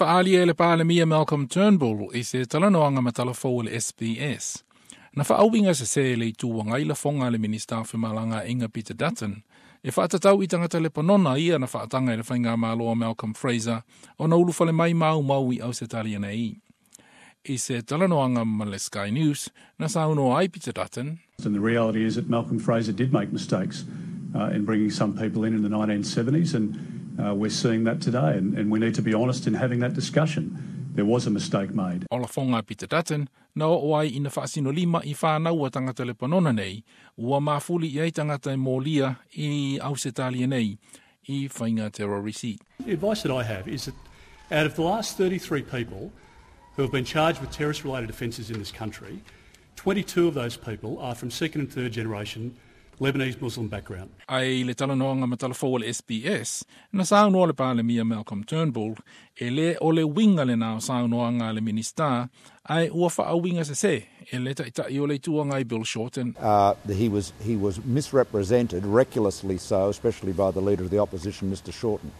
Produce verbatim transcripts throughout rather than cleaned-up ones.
Fa'aalia e le Palemia Malcolm Turnbull i se talanoaga ma talafou o le S B S. Na fa'auiga sesē e le Itu Agai lafoga a le Minista o Femalagaiga Peter Dutton e fa'atatau i tagata Lepanona ia na fa'ataga i le faigamālo a Malcolm Fraser ona ulufale mai maumau i Ausetalia nei. I se talanoaga ma le Sky News, na saunoa ai Peter Dutton. And the reality is that Malcolm Fraser did make mistakes uh, in bringing some people in in the nineteen seventies, and uh, we're seeing that today. And, and we need to be honest in having that discussion. There was a mistake made. O lafoga Peter Dutton na oo ai ina faasinolima i fanau a tagata Lepanona nei, ua mafuli i ai tagata e molia i Ausetalia nei i faiga terrorisi. The advice that I have is that out of the last thirty-three people who have been charged with terrorist-related offences in this country, twenty-two of those people are from second and third generation Lebanese Muslim background. Ai le talanoaga ma talafou o le S B S, na saunoa le Palemia Malcolm Turnbull, e lē o le uiga lenā o saunoaga a le Minista, ae ua fa'auiga sesē e le Ta'ita'i o le Itu Agai Bill Shorten. Uh, he, was, he was misrepresented, recklessly so, especially by the leader of the opposition, Mister Shorten.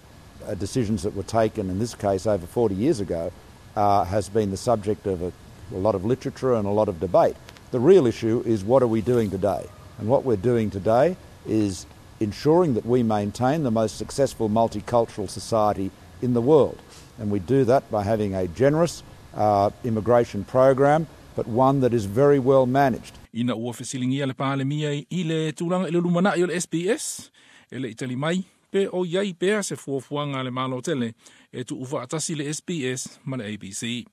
Uh, decisions that were taken, in this case, over forty years ago, uh, has been the subject of a, a lot of literature and a lot of debate. The real issue is, what are we doing today? And what we're doing today is ensuring that we maintain the most successful multicultural society in the world. And we do that by having a generous uh, immigration program, but one that is very well managed. Ina ua fesiligia le Palemia i le tulaga i le lumana'i o le S B S, e le'i tali mai pe o iai pea se fuafuaga a le Malo tele e tu'ufaatasi le S B S ma le A B C.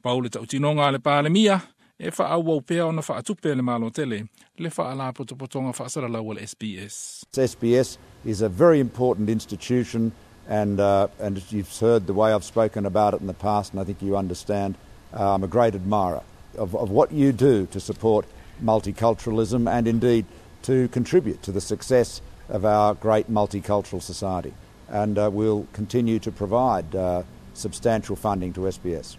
Pau le ta'utinoga a le Palemia e fa'aauau pea ona fa'atupe le Malo tele le fa'alapotopotoga fa'asalalau a le S B S. S B S is a very important institution, and, uh, and you've heard the way I've spoken about it in the past, and I think you understand uh, I'm a great admirer of, of what you do to support multiculturalism and indeed to contribute to the success of our great multicultural society. And uh, we'll continue to provide uh, substantial funding to S B S.